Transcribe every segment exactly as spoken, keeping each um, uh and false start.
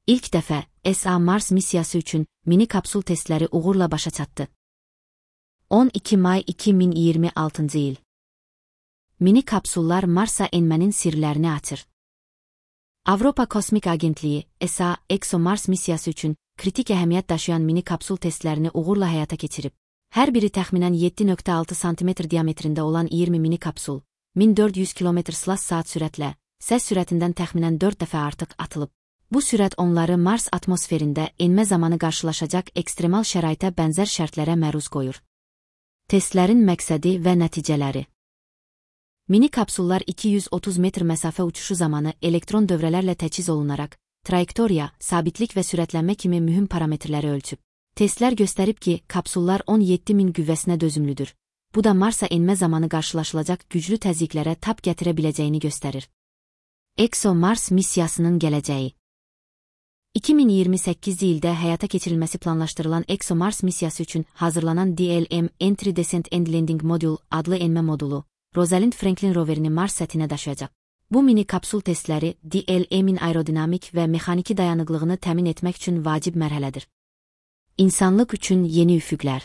İlk dəfə S A Mars missiyası üçün mini kapsul testləri uğurla başa çatdı. on iki may iki min iyirmi altıncı il. Mini kapsullar Marsa enmənin sirlərini açır. Avropa Kosmik Agentliyi, S A, ExoMars missiyası üçün kritik əhəmiyyət daşıyan mini kapsul testlərini uğurla həyata keçirib. Hər biri təxminən yeddi nöqtə altı santimetr diametrində olan iyirmi mini kapsul, min dörd yüz kilometr saat sürətlə, səs sürətindən təxminən dörd dəfə artıq atılıb. Bu sürət onları Mars atmosferində enmə zamanı qarşılaşacaq ekstremal şəraitə bənzər şərtlərə məruz qoyur. Testlərin məqsədi və nəticələri. Mini kapsullar iki yüz otuz metr məsafə uçuşu zamanı elektron dövrələrlə təchiz olunaraq, trayektoriya, sabitlik və sürətlənmə kimi mühüm parametrləri ölçüb. Testlər göstərib ki, kapsullar on yeddi min qüvvəsinə dözümlüdür. Bu da Marsa enmə zamanı qarşılaşılacaq güclü təzyiqlərə tab gətirə biləcəyini göstərir. ExoMars missiyasının gələcəyi. iki min iyirmi səkkizinci ildə həyata keçirilməsi planlaşdırılan ExoMars missiyası üçün hazırlanan D L M Entry Descent and Landing Module adlı enmə modulu, Rosalind Franklin roverini Mars səthinə daşıyacaq. Bu mini kapsul testləri D L M'in aerodinamik və mexaniki dayanıqlığını təmin etmək üçün vacib mərhələdir. İnsanlıq üçün yeni üfüqlər.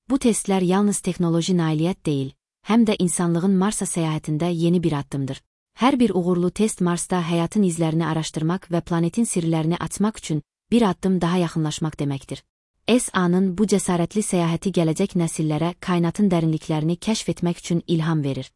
Bu testlər yalnız texnoloji nailiyyət deyil, həm də insanlığın Marsa səyahətində yeni bir addımdır. Hər bir uğurlu test Marsda həyatın izlərini araşdırmaq və planetin sirlərini açmaq üçün bir addım daha yaxınlaşmaq deməkdir. S A-nın bu cəsarətli səyahəti gələcək nəsillərə kainatın dərinliklərini kəşf etmək üçün ilham verir.